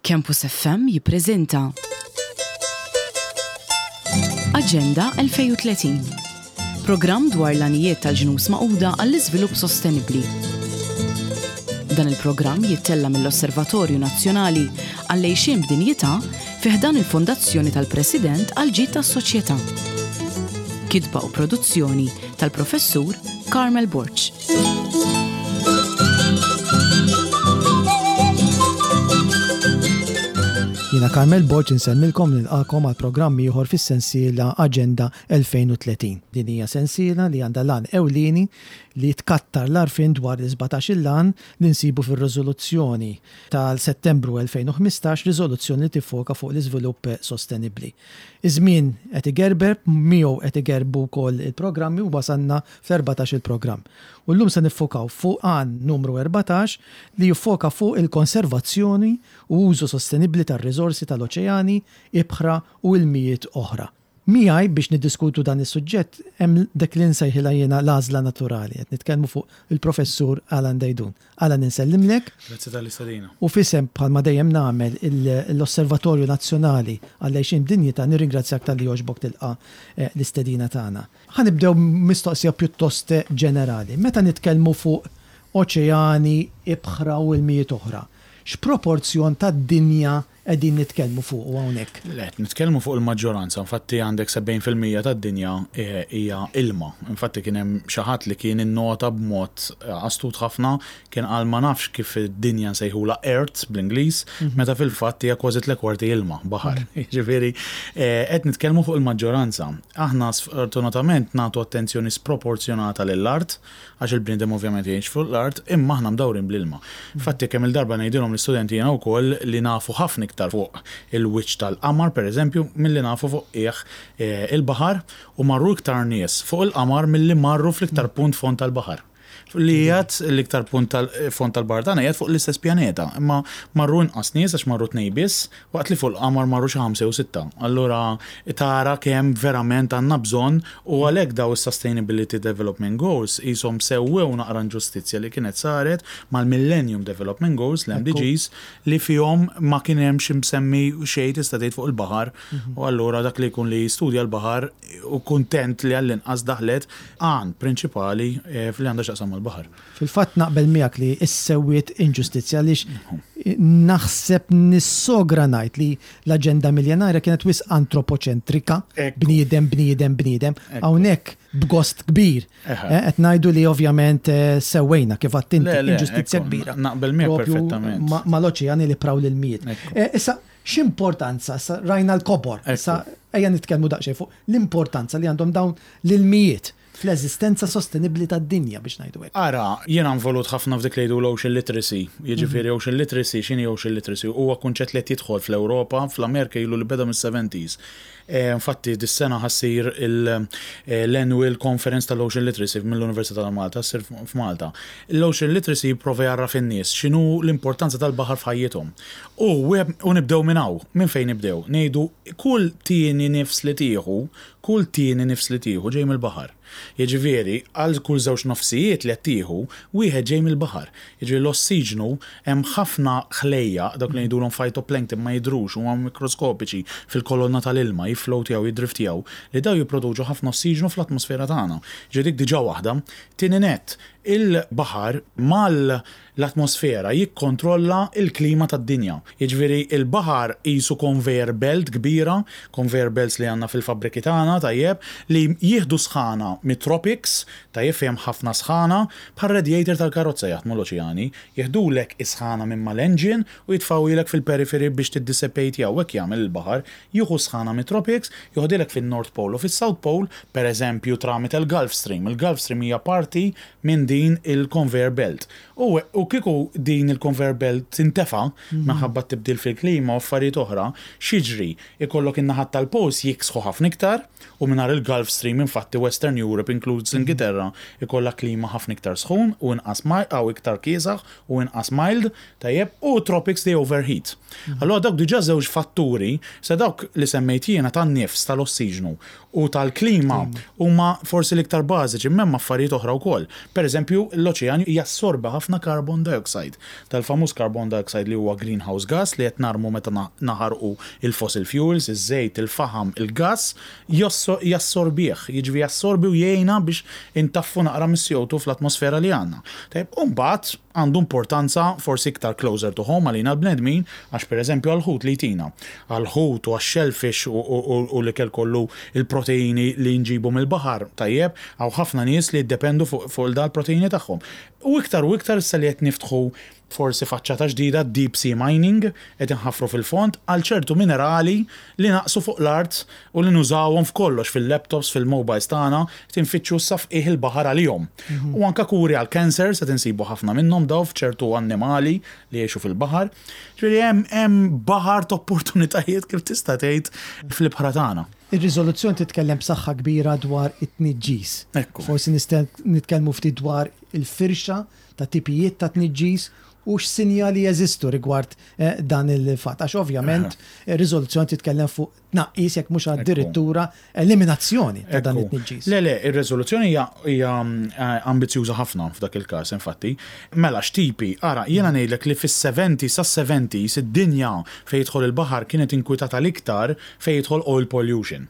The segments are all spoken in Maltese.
Campus FM jippreżenta Aġenda 2030. Programm dwar l-għanijiet tal-Ġnus Magħquda għall-Iżvilupp Sostenibbli. Dan il-programm jittella' mill-Osservatorju Nazzjonali għall-Għixien b'Dinjità fi ħdan il-Fondazzjoni tal-President għall-Ġid tas-Soċjetà. Kitba u produzzjoni tal-Professur Carmel Borg. Jiena Carmel Borg insellmilkom nilqakom għal programm ieħor fis-sensiela Aġenda 2030. Din hija sensiela li għandha l-għan ewlieni li tkattar l-għarfien dwar l-17-il għan li nsibu fir-riżoluzzjoni tal-Settembru 2015, riżoluzzjoni li tiffoka fuq l-iżvilupp sostenibbli. Iż-żmien qed igerber, miegħu qed igerbu wkoll il-programmi u wasalna fl-erbatax-il programm. U llum se niffokaw fuq għan numru 14 li jiffoka fuq il-konservazzjoni u użu sostenibbli tar-riżorsi tal-oċeani, ibħra u ilmijiet oħra. Miegħi biex niddiskutu dan is-suġġett hemm dik li nsejħilha jiena l-għażla naturali. Qed nitkellmu fuq il-Professur Alan Deidun. Alan insellimlek. Grazzi tal-istedina. U f'isem bħalma dejjem nagħmel l-Osservatorju Nazzjonali għall-Għixien b'Dinjità nirringrazzjak talli għoġbok tilqa' l-istedina tagħna. Ħa nibdew b'mistoqsija pjuttost ġenerali. Meta nitkellmu fuq oċeani, ibħra u ilmijiet oħra, x'proporzjon tad-dinja qegħdin nitkellmu fuqu hawnhekk? Le, qed nitkellmu fuq il-maġġoranza. Infatti għandek 70% tad-dinja hija ilma. Infatti kien hemm xi ħadd li kien innota b'mod astut ħafna, kien qal ma nafx kif id-dinja nsejħulha Earth bl-Ingliż, meta fil-fatt hija kważi tle kwarti ilma, baħar. Jiġifieri qed nitkellmu fuq il-maġġoranza. Aħna sfortunatament nagħtu attenzjoni sproporzjonata lill-art, għax il-bniedem ovvjament jgħix fuq l-art, imma aħna mdawrin bl-ilma. Infatti kemm-il darba ngħidilhom l-istudenti jiena wkoll li nafu ħafna iktar fuq il-wiċċ tal-qamar, pereżempju, milli nafu fuq qiegħ il-baħar u marru iktar nies fuq il-qamar milli marru fl-iktar punt fond tal-baħar. Li qiegħed l-iktar punt tal-fond tal-baħar tagħna qiegħed fuq l-istess pjaneta, imma marru inqas nies għax marru tnejn biss, waqt li fuq il-qamar marru xi ħamsa jew sitta. Allura tara kemm verament għandna bżonn u għalhekk daw is-Sustainability Development Goals qishom sewwew naqra inġustizzja li kienet saret mal-Millennium Development Goals, l-MDGs, li fihom ma kien hemmx imsemmi xejn tista' tgħid fuq il-baħar u allura dak li jkun li jistudja l-baħar u kuntent li għall-inqas daħlet għan prinċipali li għandha x'taqsam mal-baħar. Fil-fatt naqbel miegħek li ssewwiet inġustizzja għaliex naħseb nissogra ngħid li l-aġenda miljenarja kienet wisq antropoċentrika, bniedem, bniedem, bniedem. Hawnhekk b'gost kbir qed ngħidu li ovvjament sewwejna kif għedt inti inġustizzja kbira. Naqbel miegħek perfettament. Mal-oċeani li praw l-ilmijiet. Issa X'importanza, issa rajna l-kobor, issa ejja nitkellmu daqsxejn fuq l-importanza li għandhom dawn l-ilmijiet fl-eżistenza sostenibbli tad-dinja biex ngħidu hekk. Ara, jiena involut ħafna f'dik li jgħidu l-ocean literacy. Jiġifieri ocean literacy, x'inhi ocean literacy? Huwa kunċett li qed jidħol fl-Ewropa, fl-Amerika ilu li beda mis-seventies. Infatti dis-sena ħa ssir l-annual conference tal-Ocean Literacy mill-Università ta' Malta, ssir f'Malta. L-Ocean Literacy jipprova jgħarraf in-nies x'inhu l-importanza tal-baħar f'ħajjithom. U u nibdew minn hawn. Minn fejn nibdew? Ngħidu kull tieni nifs li tieħu, kull tieni nifs li tieħu ġej mill-baħar. Jiġifieri, għal kull żewġ nofsijiet li qed tieħu, wieħed ġej mill-baħar. Jiġifieri l-ossiġnu, hemm ħafna ħlejjaq, dawk li ngħidulhom phytoplankton ma jidhrux, huma mikroskopiċi fil-kolonna tal-ilma, jifflowtjaw, jiddriftjaw, li dawn jipproduċu ħafna ossiġnu fl-atmosfera tagħna. Jiġifieri dik diġà waħda. Tieni nett, il-baħar mal L-atmosfera jikkontrolla l-klima tad-dinja. Jiġifieri l-baħar qisu conveyor belt kbira, conveyor belts li għandna fil-fabbriki tagħna, tajjeb, li jieħdu sħana mit-tropics, tajjeb fejn hemm ħafna sħana, bħal radiator tal-karozza jaħdmu l-oċeani, jieħdulek is-sħana minn mal-engine u jitfgħuhielek fil-periphery biex tiddissipatejha u hekk jagħmel il-baħar, jieħu s-sħana mit-tropics, joħodhielek fin-North Pole u fis-South Pole, pereżempju tramite l-Gulf Stream. Il-Gulf Stream hija parti minn din il-conveyor belt. U u kieku din il-conveyor belt tintefa' minħabba t-tibdil fil-klima u affarijiet oħra, x'jiġri? Ikollok in-naħat tal-poles jiksħu ħafna iktar u mingħajr il-Gulf Stream infatti Western Europe inkluż l-Ingilterra ikollha klima ħafna iktar sħun u inqas aw iktar kiesaħ u inqas mild, tajjeb, u t-tropics they overheat. Allura dawk diġà żewġ fatturi, issa dawk li semmejt jiena tan-nifs tal-ossiġnu u tal-klima huma forsi l-iktar bażiċi, imma hemm affarijiet oħra wkoll. Pereżempju, l-oċean jassorbi ħafna. ħafna carbon dioxide. Dal-famuż carbon dioxide li huwa greenhouse gas li qed narmu meta naħarqu il-fossil fuels, iż-żejt, il-faħam, il-gass, jassorbih, jiġifieri jassorbi u jgħinna biex intaffu naqra mis-CO2 fl-atmosfera li għandna. Tajjeb, u mbagħad għandu importanza forsi iktar closer to home għalina l-bnedmin għax pereżempju għall-ħut li jtina. Għall-ħut u għax-shellfish u l-ikel kollu il-proteini li nġibu mill-baħar, tajjeb, hawn ħafna nies li jiddependu fuq dal-proteini tagħhom. U iktar u iktar issa li qed niftħu forsi faċċata ġdida, deep sea mining, qed inħaffru fil-fond għal ċertu minerali li naqsu fuq l-art u li nużawhom f'kollox, fil-laptops, fil-mobiles tagħna, qed infittxu issa f'qiegħ il-baħar għalihom. U anke kuri għall-cancer qed insibu ħafna minnhom dawn f'ċertu annimali li jgħixu fil-baħar. Ġifieri hemm hemm baħar t'opportunitajiet kif tista' tgħid fl-ibħra tagħna. Ir-riżoluzzjoni titkellem b'saħħa kbira dwar it-tniġġis. Ekku. Forsi nistgħu nitkellmu ftit dwar il-firxa ta' tipijiet ta' tniġġis u x'sinjali jeżistu rigward dan il-fatt. Għax ovvjament ir-riżoluzzjoni titkellem fuq tnaqqis jekk mhux addirittura eliminazzjoni ta' dan it-tniġġis. Le, le, ir-riżoluzzjoni hija hija ambizzjuża ħafna f'dak il-każ, infatti. Mela x'tipi? Ara, jiena ngħidlek li fis-70s sas-70s id-dinja fejn jidħol il-baħar kienet inkwitata l-iktar fejn jidħol oil pollution.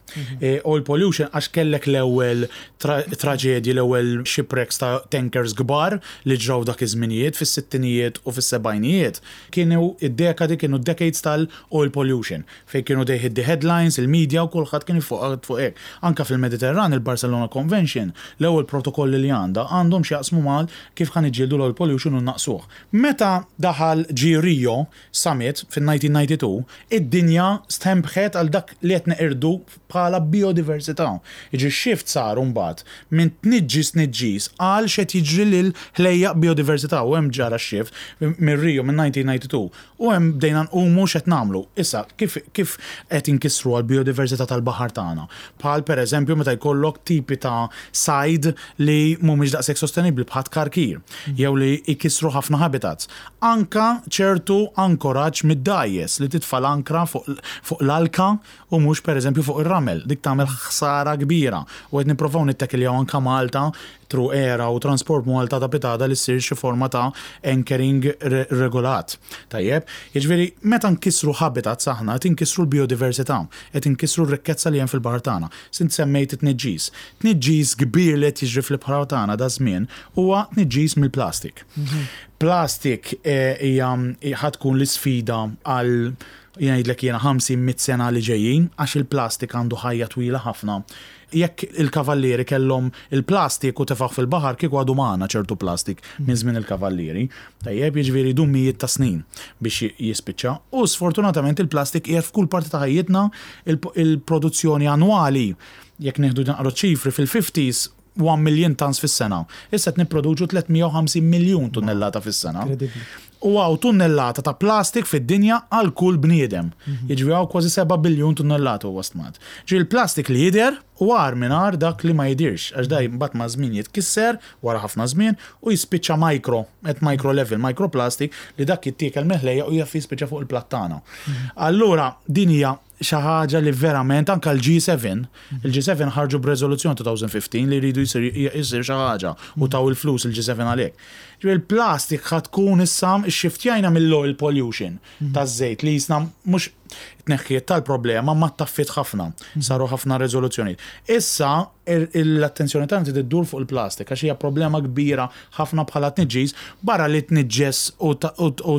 Oil pollution għax kellek l-ewwel traġedji, l-ewwel shipwrecks ta' tankers kbar li ġraw dak iż-żminijiet fis-sittinijiet u fis-sebgħinijiet. Kienu id-dekadi kienu decades tal-oil pollution fejn kienu they hit the headlines, il-media u kulħadd kien iffoka fuq hekk. Anke fil-Mediterran il-Barcelona Convention, l-ewwel protokolli li għandha għandhom x'jaqsmu mal kif ħa niġġieldu l-oil pollution u nnaqqsuh. Meta daħal ġie Rio Summit fin-1992, id-dinja stenbħet għal dak li qed neqirdu bħala bijodiversità. Jiġifieri x-shift sar imbagħad minn tniġġis tniġġis għal x'qed jiġri lil ħlejjaq bijodiversità u hemm ġara x-shift minn Rio minn 1992 u hemm bdejna nqumu x'qed nagħmlu. Issa kif kif qed inkissru għall-bijodiversità tal-baħar tagħna? Bħal pereżempju meta jkollok tipi ta' sajd li mhumiex daqshekk sostenibbli bħat-tkarkir jew li jkissru ħafna habitats. Anka ċertu ankoraġġ mid-dgħajjes li titfa' l-ankra fuq fuq l-alka u mhux pereżempju fuq ir-ramel. Dik tagħmel ħsara kbira u qed nipprovaw nittekiljaw anka Malta through ERA u Transport Malta ta' pitgħada li ssir xi forma ta' anchoring regolat. Tajjeb? Jiġifieri meta nkissru habitats aħna qed inkissru l-bijodiversità, qed inkissru r-rikkezza li hemm fil-baħar tagħna. Int semmejt it-tniġġis. Tniġġis kbir li qed jiġri fl-ibħra tagħna daż-żmien huwa tniġġis mill-plastik. Plastik hija ħa tkun l-isfida għal jgħidlek jiena 50, 100 sena li ġejjin għax il-plastik għandu ħajja twila ħafna. Jekk il-kavallieri kellhom il-plastik u tefgħuh fil-baħar kieku għadu magħna ċertu plastik minn żmien il-kavallieri. Tajjeb, jiġifieri jdum mijiet ta' snin biex jispiċċa. U sfortunatament il-plastik qiegħed f'kull parti ta' ħajjitna, il-produzzjoni annwali, jekk nieħdu naqra ċifri fil-fifties 1 million tons fis-sena. Issa qed nipproduċu 350 miljun tunnellata fis-sena. U hawn tunnellata ta' plastik fid-dinja għal kull bniedem. Mhm. Jiġifieri hawn kważi 7 biljun tunnellata huwa stmat. Ġifieri l-plastik li jidher u agħar minn agħar dak li ma jidhirx għax daj mbagħad ma' żmien jitkisser wara ħafna żmien u jispiċċa micro, at micro level, microplastic li dak jittiekel mill-ħlejja u jaf jispiċċa fuq il-platt tagħna. Mhm. Allura din hija xi ħaġa li verament anke l-G7, il-G7 ħarġu b'reżoluzzjoni 2015 li jridu jsir xi ħaġa u taw il-flus il-G7 għalhekk. Ġifieri il-plastik ħa tkun issa xxiftjajna mill-oil pollution taż-żejt li jisna mhux tneħħiet tal-problema ma taffiet ħafna, saru ħafna reżoluzzjonijiet. Issa l-attenzjoni tagħna trid iddur fuq il-plastik għax hija problema kbira ħafna bħala tniġġis, barra li tniġġes u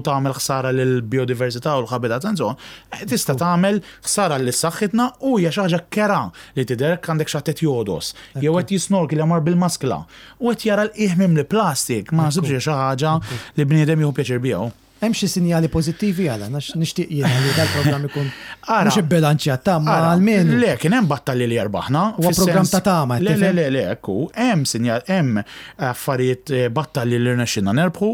tagħmel ħsara lill-bijodiversità u l-habitat and so on, eh, tista' tagħmel ħsara lil saħħitna u hija xi ħaġa kera li tidher għandek xi ħadd qed jogħdos jew qed jisnorkel mar bil-maskla u qed jara l-qiegħ mimli plastik, ma naħsibx hija xi ħaġa li bniedem jieħu pjaċir biha. Hemm xi sinjali pożittivi għala għax nixtieq jiena li dal-programm ikun mhux ibbilanċjat ta' ma almenu. Le, kien hemm battalji li erbaħna. Huwa programm ta' tama. Le, le, le, le, ekku, hemm sinjal, hemm affarijiet eh, battalji li rnexxinna nerbħu,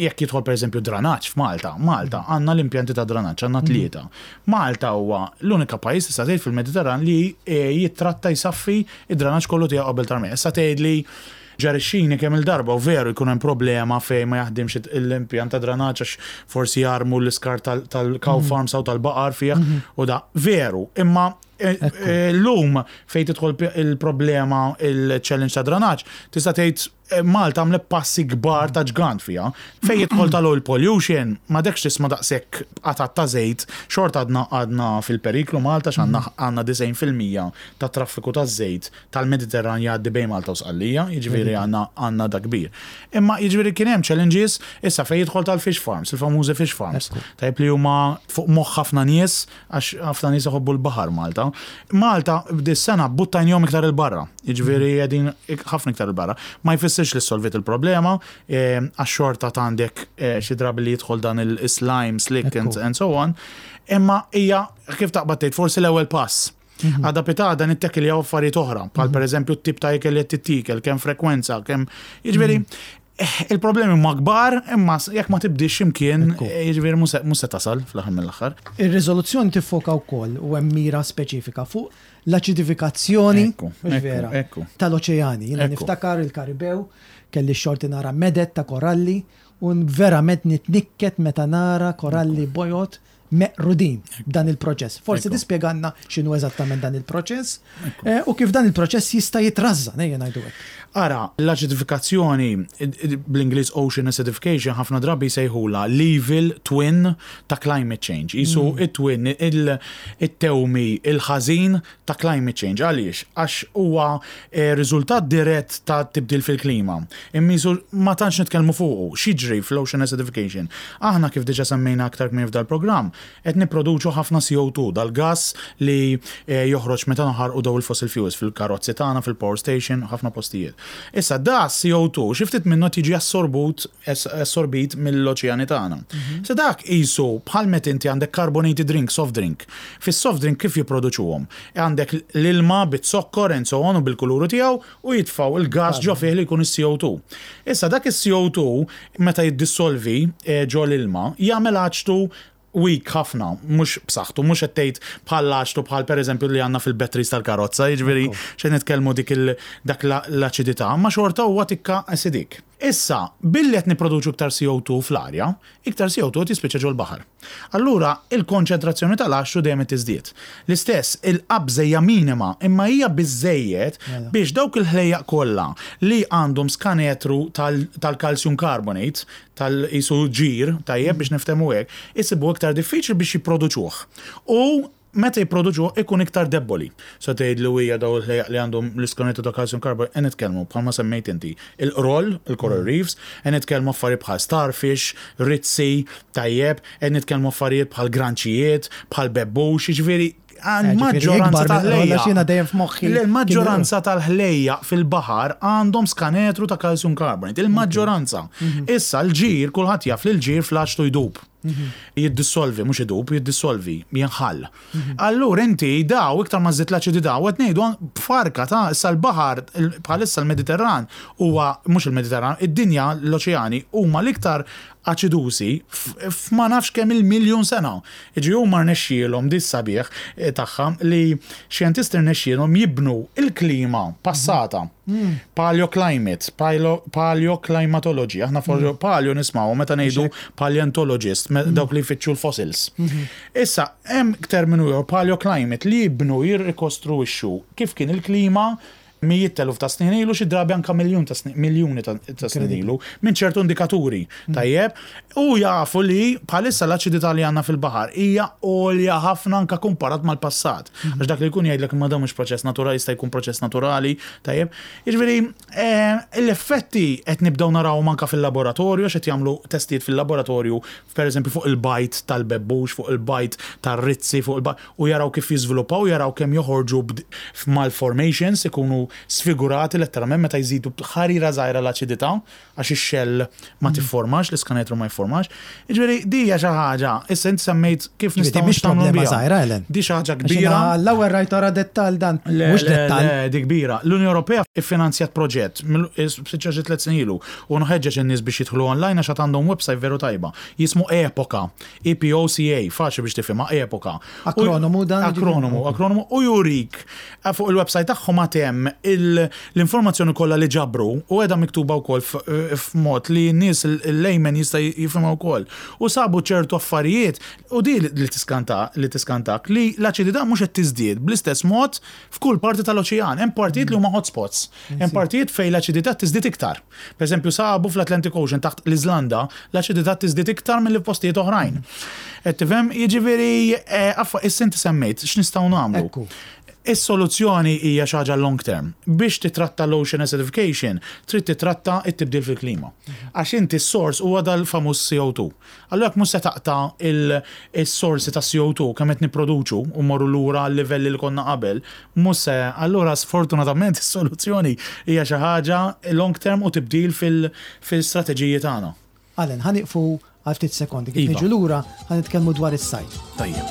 jekk jidħol pereżempju dranaġġ f'Malta. Malta għandna l-impjanti ta' dranaġġ, għandna mhm. tlieta. Malta huwa l-unika pajjiż tista' tgħid fil-Mediterran li eh, jittratta jsaffi id-dranaġġ kollu tiegħu qabel tarmija. Issa tgħidli Ġar ix-xini kemm il-darba u veru jkun hemm problema fejn ma jaħdimx l-impjant ta' dranaġġ għax forsi jarmu l-iskart tal-cow farms u tal-baqar fih u da. Veru, imma Illum fejn tidħol il-problema il-challenge ta' dranaġġ, tista' tgħid Malta għamlet passi kbar ta' ġgant fiha. Fejn jidħol tal-oil pollution, m'għadekx tisma' daqshekk qatat ta' żejt, xorta għadna għadna fil-periklu Malta x'għandna għandna 90% tat-traffiku taż-żejt tal-Mediterran jgħaddi bejn Malta u Sqallija, jiġifieri għandna għandna dak kbir. Imma jiġifieri kien hemm challenges issa fejn jidħol tal-fish farms, il-famużi fish farms. Tajjeb li huma fuq moħħ ħafna nies Għax ħafna nies iħobbu l-baħar Malta. Malta dis-sena buttajnihom iktar 'il barra. Jiġifieri qegħdin ħafna iktar 'il barra. Ma jfissirx li ssolviet il-problema, għax xorta għandek xi drabi li jidħol dan il-slime, slick and so on. Imma hija kif taqbad tgħid forsi l-ewwel pass. Għada pitgħada nittekiljaw affarijiet oħra, bħal pereżempju t-tip ta' ikel li qed tittiekel, kemm frekwenza, kemm jiġifieri Il-problemi huma kbar, imma jekk ma tibdiex x'imkien, jiġifieri mhux se tasal fl-aħħar mill-aħħar. Ir-riżoluzzjoni tiffoka wkoll u hemm mira speċifika fuq l-aċidifikazzjoni, mhux vera, tal-oċeani. Jiena niftakar il-Karibew, kelli x-xorti nara meded ta' koralli u verament nitnikket meta nara koralli bojod meqrudin b'dan il-proċess. Forsi tispjegalna x'inhu eżattament dan il-proċess eh, u kif dan il-proċess jista' jitrażżan, ejja ngħidu hekk. Ara, l-aċidifikazzjoni bl-Ingliż ocean acidification ħafna drabi jsejħulha l-evil twin ta' climate change. Isu mm. it-twin, it-tewmi, il-ħażin ta' climate change. Għaliex? Għax huwa eh, riżultat dirett ta' tibdil fil-klima. Imma ma tantx nitkellmu fuqu. X'jiġri fl-ocean acidification? Aħna kif diġà semmejna aktar kmieni f'dal-programm, qed nipproduċu ħafna CO2, dal-gass li eh, joħroġ meta naħarqu daw il-fossil fuels fil-karozzi tagħna, fil-power station, ħafna postijiet. Issa da CO2 xi ftit minnu tiġi assorbut assorbit mill-oċeani tagħna. Mhm. Se dak qisu bħal meta inti għandek carbonated drink, soft drink. Fis-soft drink kif jipproduċuhom? Għandek l-ilma bit-zokkor and so on u bil-kuluru tiegħu u jitfgħu il-gas ġo fih li jkun is-CO2. Issa dak is-CO2 meta jiddissolvi eh, ġo l-ilma jagħmel aċtu weak ħafna, mhux b'saħħtu, mhux qed tgħid bħal aċtu bħal pereżempju li għandna fil-batteries tal-karozza, jiġifieri x'qed nitkellmu dik dak l-aċidità, ma xorta huwa tikka acidic. Issa, billi qed nipproduċu iktar CO2 fl-arja, iktar CO2 qed jispiċċa ġol-baħar. Allura, il-konċentrazzjoni tal-għaxxu dejjem qed tiżdied. L-istess, il-qabża hija minima, imma hija biżżejjed mela. biex dawk il-ħlejjaq kollha li għandhom skanetru tal-calcium carbonate, tal-qisu ġir, tajjeb biex niftehmu hekk, isibu iktar diffiċli biex jipproduċuh. U meta jipproduċuh ikun iktar debboli. Se tgħid li hija daw il-ħlejjaq li għandhom l-iskanetru ta' calcium carbonate, qed nitkellmu bħalma semmejt inti, il-qroll, il-coral reefs, qed nitkellmu affarijiet bħal starfish, rizzi, tajjeb, qed nitkellmu affarijiet bħal granċijiet, bħal bebbux, jiġifieri il-maġġoranza tal-ħlejjaq. Il-maġġoranza tal-ħlejjaq fil-baħar għandhom skanetru ta' calcium carbonate, il-maġġoranza. Mhm. Issa l-ġir, kulħadd jaf li l-ġir fl-aċtu jdub. Jiddissolvi, mhux idub, jiddissolvi, jinħall. Allura inti daw iktar ma żżid l-aċidità u qed ngħidu b'farka ta' issa l-baħar bħalissa l-Mediterran huwa mhux il-Mediterran, id-dinja l-oċeani huma l-iktar aċidużi f'ma nafx kemm il-miljun sena. Jiġifieri huma rnexxielhom di s-sabiħ tagħha li xjentisti rnexxielhom jibnu l-klima passata. Paleoclimate, paleoclimatology, aħna mm. paleo nismaw meta ngħidu paleontologist, mm. dawk li jfittxu l-fossils. Mm-hmm. Issa, hemm terminu jew paleoclimate li jibnu jirrikostruixxu kif kien il-klima mijiet teluf ta' snin ilu, xi drabi anka miljun ta' snin, miljuni ta' snin ilu, minn ċertu indikaturi. Mm. Tajjeb, u jafu li bħalissa l-aċidità li għandna fil-baħar hija għolja ħafna anka kumparat mal-passat. Mhm. Għax dak li jkun jgħidlek imma dan mhux proċess naturali jista' jkun proċess naturali, tajjeb. Jiġifieri eh, l-effetti qed nibdew narawhom anka fil-laboratorju għax qed jagħmlu testijiet fil-laboratorju, pereżempju fuq il-bajt tal-bebbux, fuq il-bajt tar-rizzi, fuq il-bajt u jaraw kif jiżviluppaw, jaraw kemm joħorġu f'malformations, ikunu sfigurati letteralment meta jżidu ħarira żgħira l-aċidità għax ix-xell ma tifformax, l-iskanetru ma jifformax. Jiġifieri di hija xi ħaġa, issa inti semmejt kif nistgħu mhix problema żgħira, Ellen. Di xi ħaġa kbira. L-ewwel rajt ora dettall dan. Mhux dettall. Le, di kbira. L-Unjoni Ewropea iffinanzjat proġett spiċċa xi tliet snin ilu u nħeġġeġ in-nies biex jidħlu online għax għad għandhom website veru tajba. Jismu Epoka. EPOCA, faċli biex tifhimha, Epoka. Akronomu dan? Akronomu, akronomu u jurik eh, fuq il-website tagħhom għad hemm L-informazzjoni kollha li ġabru u qiegħda miktuba wkoll f'mod li n-nies il-layman jista' jifhimha wkoll. U sabu ċertu affarijiet u di li tiskanta li tiskantak li l-aċidità mhux qed tiżdied bl-istess mod f'kull parti tal-oċean. Hemm partijiet li huma hotspots. Hemm partijiet fejn l-aċidità tiżdied iktar. Pereżempju sabu fl-Atlantic Ocean taħt l-Iżlanda l-aċidità tiżdied iktar milli f'postijiet oħrajn. Qed tifhem? Jiġifieri issa inti semmejt x'nistgħu nagħmlu. Is-soluzzjoni hija xi ħaġa long term. Biex titratta l-ocean acidification, trid titratta t-tibdil fil-klima. Għax inti s-sors huwa dal-famuż CO2. Allura jekk mhux se taqta' s-sorsi ta' CO2 kemm qed nipproduċu u mmorru lura għal-livelli li konna qabel, mhux se, allura sfortunatament is-soluzzjoni hija xi ħaġa long term u tibdil fil-strateġiji tagħna. Alan, ħa nieqfu għal ftit sekondi. Kif niġu lura, ħa nitkellmu dwar is-sajd. Tajjeb.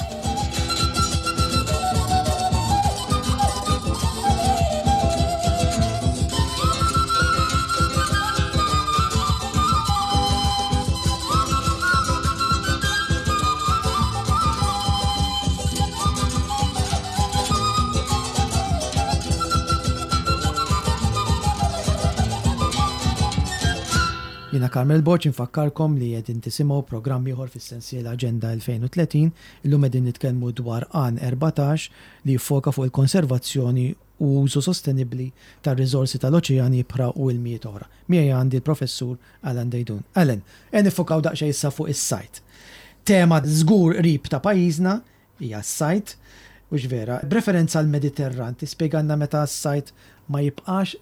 Jiena Carmel Borg infakkarkom li qegħdin tisimgħu programm ieħor fis-sensiela Aġenda 2030. Illum qegħdin nitkellmu dwar Għan 14 li jiffoka fuq il-konservazzjoni u użu sostenibbli tar-riżorsi tal-oċeani, ibħra u ilmijiet oħra. Miegħi għandi l-Professur Alan Deidun. Alan, ejja niffokaw daqsxejn issa fuq is-sajd. Tema żgur qrib ta' pajjiżna hija s-sajd, hux vera? B'referenza għall-Mediterran, tispjegalna meta s-sajd ma jibqax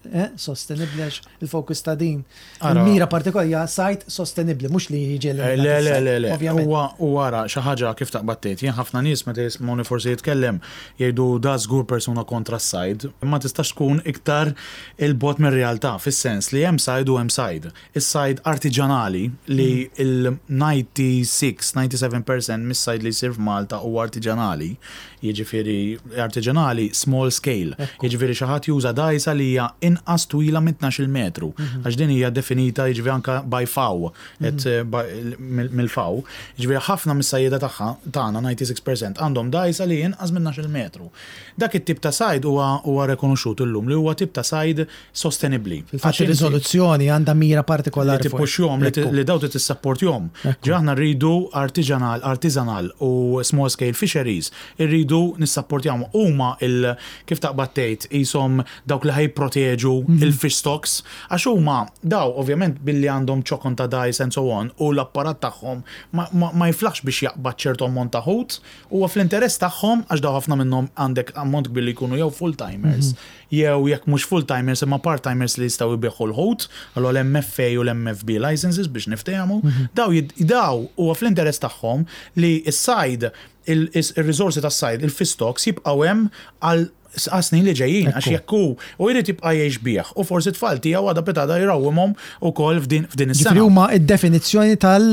sostenibbli għax il-fokus ta' din il-mira partikolari hija sajd sostenibbli, mhux li jiġi eliminat. Le, le, le, le. Ovvjament. U ara xi ħaġa kif taqbad tgħid. Jien ħafna nies meta jismgħuni forsi jitkellem jgħidu da żgur persuna kontra s-sajd. Ma tistax tkun iktar 'il bogħod mir-realtà fis-sens li hemm sajd u hemm sajd. Is-sajd artiġanali li l-96, 97% mis-sajd li jsir f'Malta huwa artiġanali, jiġifieri artiġanali small scale, jiġifieri xi ħadd juża dgħajsa li hija inqas twila minn 12-il metru, għax din hija definita jiġifieri anke by FAO, mill-FAO, jiġifieri ħafna mis-sajjieda tagħha, tagħna 96% għandhom dgħajsa li hi inqas minn 12-il metru. Dak it-tip ta' sajd huwa rekonoxxut illum li huwa tip ta' sajd sostenibbli. Fil-fatt ir-riżoluzzjoni għandha mira partikolari. Li tippuxjhom, li daw trid tissapportjhom. Ġifieri aħna rridu artiġanal, artisanal u small scale fisheries, irridu nissapportjahom. Huma il kif taqbad tgħid qishom dawk li ħa jipproteġu il-fish stocks għax huma daw ovvjament billi għandhom ċokon ta' dgħajs and so on u l-apparat tagħhom ma jiflaħx biex jaqbad ċertu ammont ta' ħut, huwa fl-interess tagħhom għax daw ħafna minnhom għandek ammont kbir li jkunu jew full-timers jew jekk mhux full-timers imma part-timers li jistgħu jbigħu l-ħut, allura l-MFA u l-MFB licenses biex niftehmu, daw daw huwa fl-interess tagħhom li s-sajd, ir-riżorsi tas-sajd, il-fish stocks jibqgħu hemm għal għas-snin li ġejjin, għax jekk hu u jrid jibqa' jgħix bih u forsi t-tfal tiegħu għada pitgħada jrawwimhom ukoll f'din is-sengħa. Ġifieri huma d-definizzjoni tal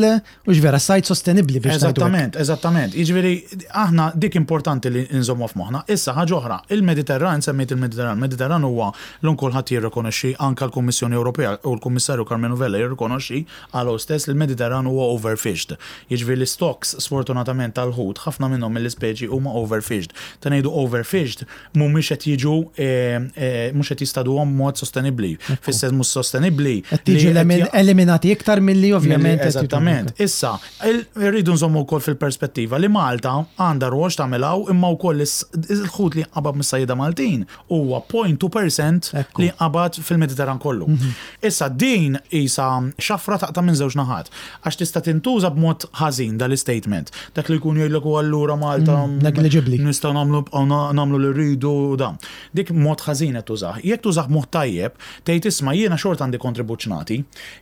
Hux vera, sajd sostenibbli biex ngħidu hekk. Eżattament, eżattament. Jiġifieri aħna dik importanti li nżommuha f'moħħna. Issa ħaġa oħra, il-Mediterran, semmejt il-Mediterran, il-Mediterran huwa llum kulħadd jirrikonoxxi, anke l-Kummissjoni Ewropea u l-Kummissarju Karmenu Vella jirrikonoxxi qal hu stess li l-Mediterran huwa overfished. Jiġifieri l-istocks sfortunatament tal-ħut, ħafna minnhom mill-ispeċi huma overfished. Meta ngħidu overfished, mhumiex qed jiġu mhux qed jistaduhom b'mod sostenibbli. Fis-sens mhux sostenibbli. Qed jiġu eliminati iktar milli ovvjament. Eżattament. Issa, irridu nżommu wkoll fil-perspettiva li Malta għandha rwol x'tagħmel hawn imma wkoll il-ħut li jinqabad mis-sajjieda Maltin huwa 0.2% li jinqabad fil-Mediterran kollu. Issa din qisha xafra taqta' minn żewġ naħat. Għax tista' tintuża b'mod ħażin dal-istatement. Dak li jkun jgħidlek u allura Malta Negliġibbli. nistgħu nagħmlu nibqgħu nagħmlu li rridu u dan. Dik mod ħażin qed tużah. Jekk tużah b'mod tajjeb, tgħid isma' jiena xorta għandi kontribut x'nagħti.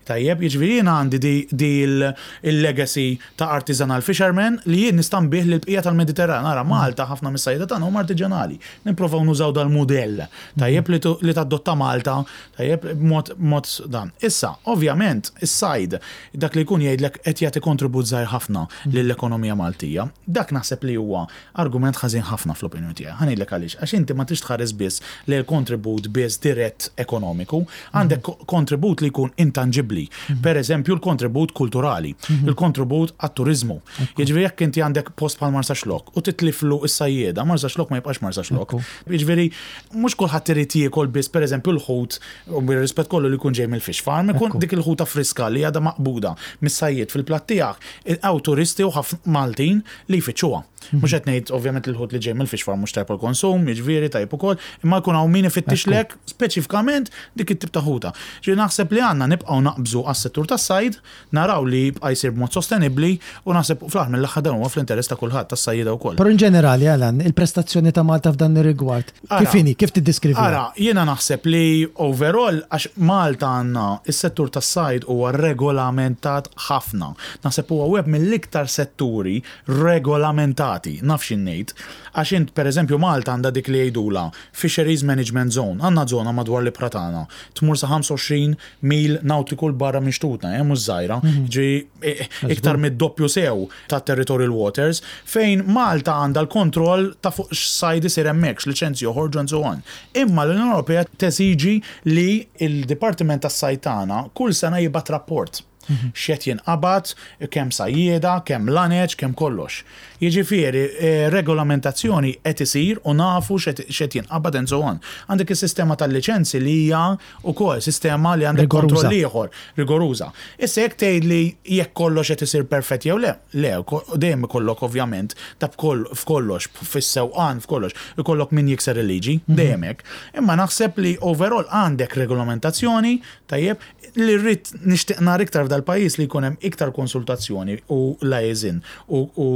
Tajjeb, jiġifieri jiena għandi di di l-legacy ta' artisanal fishermen li jien nista' nbigħ lill-bqija tal-Mediterran. Ara Malta ħafna mis-sajjieda tagħna huma artiġanali. Nipprovaw nużaw dal-mudell tajjeb li tadotta Malta Tajjeb, b'mod b'mod dan. Issa, ovvjament, is-sajd, dak li jkun jgħidlek qed jagħti kontribut żgħir ħafna lill-ekonomija Maltija. Dak naħseb li huwa argument ħażin ħafna fl-opinjoni tiegħi. Ħa ngħidlek għaliex. Għax inti ma tridx tħares biss lejn il-kontribut biss dirett ekonomiku, għandek kontribut li jkun intanġibbli. Per eżempju l-kontribut kulturali, il-kontribut għat-turiżmu. Jiġifieri jekk inti għandek post bħal Marsaxlokk u titliflu s-sajjieda, Marsaxlokk ma jibqax Marsaxlokk. Jiġifieri mhux kulħadd irid jiekol biss pereżempju l-ħut u bir-rispett kollu li jkun ġej mill-fish farm, ikun dik il-ħuta friska li għadha maqbuda mis-sajjied fil-platt tiegħek, hawn turisti u ħafna Maltin li jfittxuha. Mhux qed ngħid ovvjament li l-ħut li ġej mill-fish farm mhux tajjeb għall-konsum, jiġifieri tajjeb ukoll, imma jkun hawn min ifittixlek speċifikament dik it-tip ta' ħuta. Ġifieri naħseb li għandna nibqgħu naqbżu għas-settur tas-sajd, naraw li jibqa' jsir b'mod sostenibbli u naħseb fl-aħħar mill-aħħar dan huwa fl-interess ta' kulħadd, tas-sajjieda wkoll. Però in ġenerali, Alan, il-prestazzjoni ta' Malta f'dan ir-rigward, kif inhi? Kif tiddeskriviha? Ara, jiena naħseb li overall, għax Malta għandna, is-settur tas-sajd huwa regolamentat ħafna. Naħseb huwa wieħed mill-iktar setturi regolamentati, naf xi ngħid. Għax int, pereżempju, Malta għandha dik li jgħidulha Fisheries Management Zone. Għandna żona madwar l-ibħra tagħna, tmur sa 25 mil nautiku 'l barra minn xtutna, eh, mhux żgħira, jiġifieri iktar mid-doppju sew ta' territorial waters, fejn Malta għandha l-kontroll ta' fuq x'sajd isir hemmhekk, x'liċenzji joħorġu and so on. Imma l-Unjoni Ewropea teżiġi li l-Dipartiment tas-Sajd tagħna kull sena jibgħat rapport. X'qed jinqabad, kemm sajjieda, kemm laneċ, kemm kollox. Jiġifieri, regolamentazzjoni qed isir u nafu x'qed jinqabad and so on. Għandek is-sistema tal-liċenzji li hija wkoll sistema li għandek kontroll ieħor, rigoruża. Issa jekk tgħidli jekk kollox qed isir perfett jew le, le, dejjem ikollok ovvjament ta' f'kollox, fis-sewqan, f'kollox, ikollok min jikser il-liġi, dejjem hekk. Imma naħseb li overall għandek regolamentazzjoni, tajjeb, Li rrid nixtieq nara iktar f'dal-pajjiż li jkun hemm iktar konsultazzjoni u liaison u, u,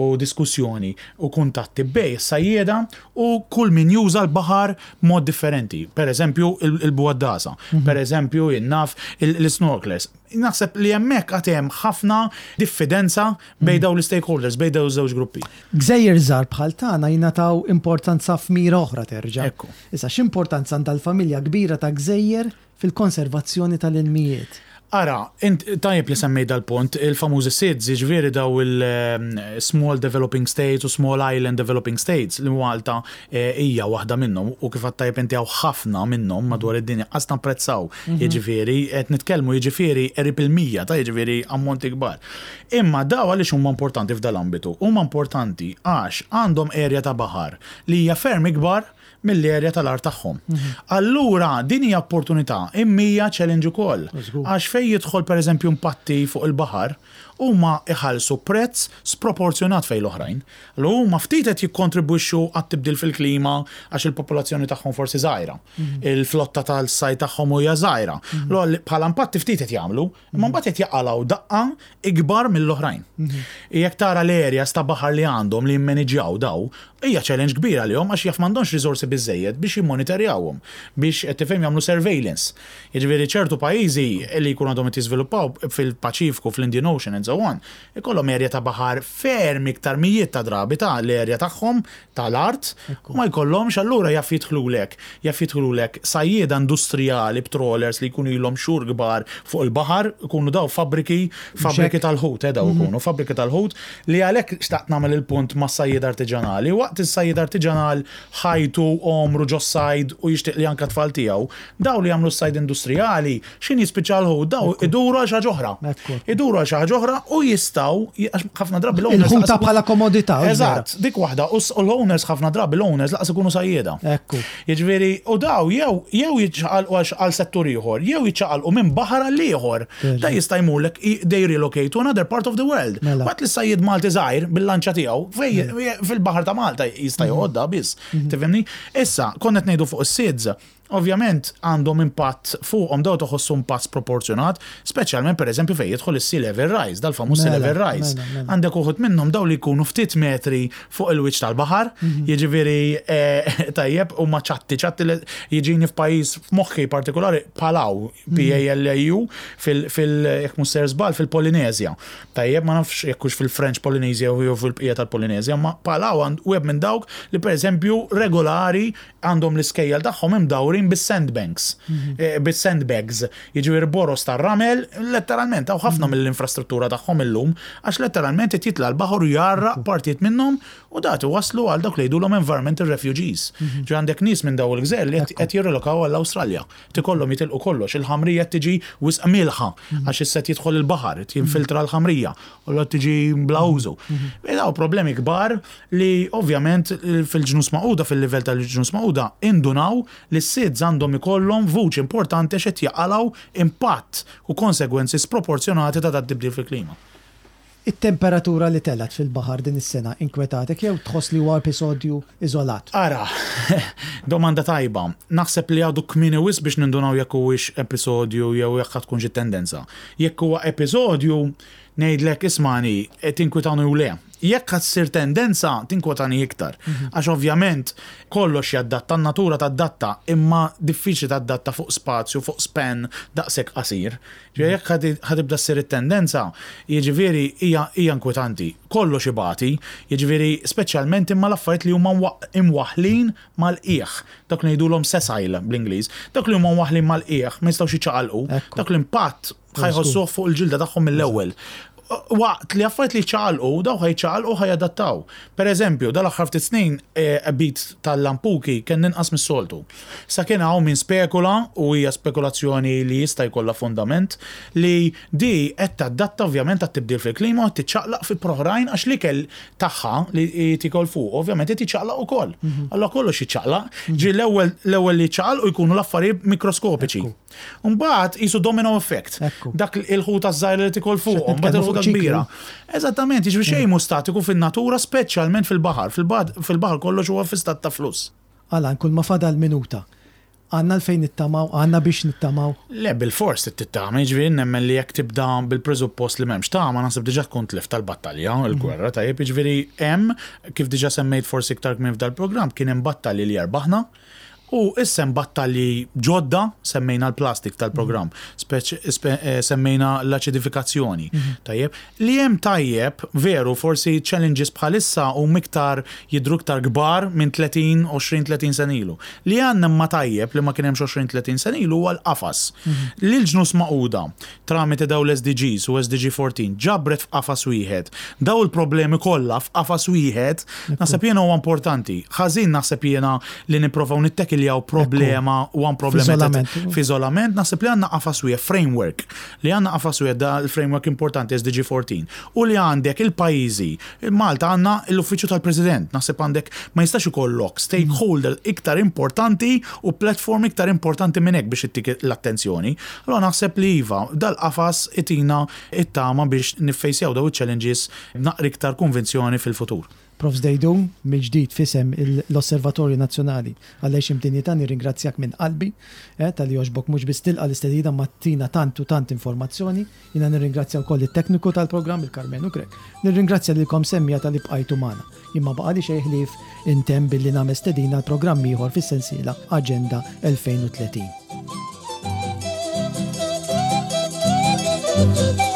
u diskussjoni u kuntatti bejn is-sajjieda u kull min juża l-baħar b'mod differenti. Per eżempju il-bugħaddasa, per eżempju jien naf l-isnorklers. Naħseb li hemmhekk għad hemm ħafna diffidenza bejn dawn l-istakeholders, bejn dawn iż-żewġ gruppi. Gżejjer żgħar bħal tagħna jingħataw importanza f'mira oħra terġa'. Ekku. Issa x'importanza għandha l-familja kbira ta' gżejjer fil-konservazzjoni tal-ilmijiet. Ara, int tajjeb li semmejt dal-punt, il-famużi SIDS, jiġifieri daw il-Small Developing States u Small Island Developing States, li Malta hija waħda minnhom u kif għedt tajjeb inti hawn ħafna minnhom madwar id-dinja, qas napprezzaw, jiġifieri qed nitkellmu jiġifieri qrib il-100 ta' jiġifieri ammonti kbar. Imma daw għaliex huma importanti f'dal-ambitu? Huma importanti għax għandhom area ta' baħar li hija ferm ikbar mill-erja tal-art tagħhom. Allura din hija opportunità imma hija challenge ukoll. Għax fejn jidħol pereżempju impatti fuq il-baħar, huma jħallsu prezz sproporzjonat fejn l-oħrajn. Allura huma ftit qed jikkontribwixxu għat-tibdil fil-klima għax il-popolazzjoni tagħhom forsi żgħira. Il-flotta tas-sajd tagħhom hija żgħira. Allura bħala impatti ftit qed jagħmlu, imma mbagħad qed jaqalgħu daqqa ikbar mill-oħrajn. Jekk tara l-areas ta' baħar li għandhom li jimmaniġjaw daw, hija challenge kbira għalihom għax jaf m'għandhomx riżorsi biżżejjed biex jimmonitorjawhom, biex qed tifhem jagħmlu surveillance. Jiġifieri ċertu pajjiżi li jkunu għadhom qed jiżviluppaw fil-Paċifiku, fl-Indian Ocean and so on, ikollhom area ta' baħar ferm iktar mijiet ta' drabi ta' l-area tagħhom tal-art u ma jkollhomx allura jaf jidħlulek jaf jidħlulek sajjieda industrijali b'trawlers li jkunu ilhom xhur kbar fuq il-baħar ikunu daw fabbriki fabbriki tal-ħut eh daw ikunu fabbriki tal-ħut li għalhekk xtaqt nagħmel il-punt mas-sajjieda artiġanali waqt is-sajjied artiġanal ħajtu għomru ġos-sajd u jixtieq li anke t-tfal tiegħu daw li jagħmlu s-sajd industrijali X'ħin jispiċċa l-ħut, daw iduru għal xi ħaġa oħra. Iduru għal xi ħaġa oħra u jistgħu, għax ħafna drabi l-owners. Il-ħuta bħala komodità. Eżatt, dik waħda. U l-owners ħafna drabi l-owners laqas ikunu sajjieda. Ekku. Jiġifieri, u daw jew jew jiċċaqalqu għal settur ieħor, jew jiċċaqalqu minn baħar għal ieħor. Da jista' jmurlek they relocate to another part of the world. Mela. Waqt li s-sajjied Malti żgħir bil-lanċa tiegħu fil-baħar ta' Malta jista' mhm. joqgħod da biss. Mhm. Tifhimni? Issa, konna qed ngħidu fuq is-SIDS, Ovvjament għandhom impatt fuqhom dawn toħossu impatt sproporzjonat, speċjalment pereżempju fejn jidħol is-sea level rise, dal-famuż sea level rise. Għandek uħud minnhom dawn li jkunu ftit metri fuq il-wiċċ tal-baħar, jiġifieri tajjeb huma ċatti, ċatti li jiġini f'pajjiż f'moħħi partikolari Palau, P-A-L-A-U, fil, jekk mhux sejjer żball, fil-Polineżja. Tajjeb, ma nafx jekk hux fil-French Polynesia jew fil-bqija tal-Polineżja, ma Palau għand wieħed minn dawk li pereżempju regolari għandhom l-iskejjel tagħhom imdawrin mgħammrin bis-sandbanks, bis-sandbags, jiġifieri boroż tar-ramel, letteralment hawn ħafna mill-infrastruttura tagħhom illum għax letteralment qed jitla' l-baħar u jgħarraq partijiet minnhom u dat iwasslu għal dawk li jgħidulhom environmental refugees. Ġifieri għandek nies minn dawn il-gżejjer li qed jirrelokaw għall-Awstralja. Qed ikollhom jitilqu kollox, il-ħamrija qed tiġi wisq mielħa għax issa qed jidħol il-baħar, qed jinfiltra l-ħamrija u allura tiġi bla użu. Dawn problemi kbar li ovvjament fil-Ġnus Magħquda, fil-livell tal-Ġnus Magħquda indunaw li s-SIDS għandhom ikollhom vuċi importanti għax qed jaqalgħu impatt u konsegwenzi sproporzjonati ta' dat-tibdil fil-klima. It-temperatura li telgħet fil-baħar din is-sena inkwetatek jew tħoss li huwa episodju iżolat? Ara, domanda tajba. Naħseb li għadu kmieni wisq biex nindunaw jekk huwiex episodju jew jekk ħa tkun xi tendenza. Jekk huwa episodju, ngħidlek ismagħni, tinkwitani u le. Jekk ħa ssir tendenza, tinkwetani iktar. Għax ovvjament kollox jaddatta, n-natura taddatta, imma diffiċli taddatta fuq spazju, fuq span daqshekk qasir. Ġifieri jekk ħa tibda ssir it-tendenza, jiġifieri hija hija inkwetanti. Kollox ibati, jiġifieri speċjalment imma l-affarijiet li huma imwaħħlin mal-qiegħ, dawk li ngħidulhom sessile bl-Ingliż, dawk li huma mwaħħlin mal-qiegħ ma jistgħux jiċċaqalqu, dak l-impatt ħa jħossuh fuq il-ġilda tagħhom mill-ewwel. Waqt li affarijiet li jiċċaqalqu, dawk ħa jiċċaqalqu ħa jadattaw. Per eżempju, dal-aħħar ftit snin qbid tal-lampuki kien inqas mis-soltu. Sa kien hawn min spekula, u hija spekulazzjoni li jista' jkollha fundament, li di qed tadatta ovvjament għat-tibdil fil-klima u qed tiċċaqlaq fi oħrajn għax l-ikel tagħha li tikol fuq ovvjament qed jiċċaqlaq ukoll. Allura kollox jiċċaqlaq. Ġieli l-ewwel l-ewwel li jiċċaqalqu jkunu l-affarijiet mikroskopiċi. Mbagħad qisu domino effect. Dak il-ħuta żgħira li tikol fuqhom, mbagħad il-ħuta kbira. Eżattament, jiġifieri xejn mhu statiku fin-natura, speċjalment fil-baħar. Fil-baħar kollox huwa fi stat ta' fluss. Alan, kull ma fadal minuta. Għandna għalfejn nittamaw? Għandna biex nittamaw? Le, bilfors trid tittama, jiġifieri nemmen li jekk tibda bil-preżuppost li m'hemmx tama, naħseb diġà tkun tlift tal-battalja, il-gwerra, tajjeb, jiġifieri hemm, kif diġà semmejt forsi iktar kmieni f'dal-programm, kien hemm battalji li erbaħna, u issa hemm battalji ġodda, semmejna l-plastik tal-programm, semmejna l-aċidifikazzjoni, tajjeb, Li hemm tajjeb, veru, forsi challenges bħalissa huma iktar, jidhru iktar kbar minn 30, 20, 30 sena ilu. Li għandna imma tajjeb li ma kien hemmx 20, 30 sena ilu huwa l-qafas. Li l-Ġnus Magħquda, tramite dawn l-SDGs u SDG 14, ġabret f'qafas wieħed dawn il-problemi kollha f'qafas wieħed, naħseb jiena huwa importanti. Ħażin naħseb jiena li nipprovaw nittekiljaw problema one problem at a f'iżolament, naħseb li għandna qafas wieħed, framework, Li għandna qafas wieħed da l-framework importanti SDG 14 u li għandek il-pajjiżi, Malta għandna l-Uffiċċju tal-President, naħseb għandek ma jistax ikollok stakeholder iktar importanti u platform iktar importanti minn hekk biex ittik l-attenzjoni. Allura naħseb li iva, dal-qafas itina t-tama biex niffejsjaw dawn iċ-challenges b'naqra iktar konvinzjoni fil-futur. Prof. Deidun, mill-ġdid f'isem l-Osservatorju Nazzjonali għall-Għixien b'Dinjità nirringrazzjak minn qalbi talli għoġbok mhux biss tilqa' l-istedina imma ttina tant u tant informazzjoni. Jiena nirringrazzja wkoll lit-tekniku tal-programm, il-Karmenu Grech. Nirringrazzja lilkom semmiegħa talli bqajtu magħna. Jien ma baqagħli xejn ħlief intemm billi nagħmel stedina għal programm ieħor fis-sensiela Aġenda 2030.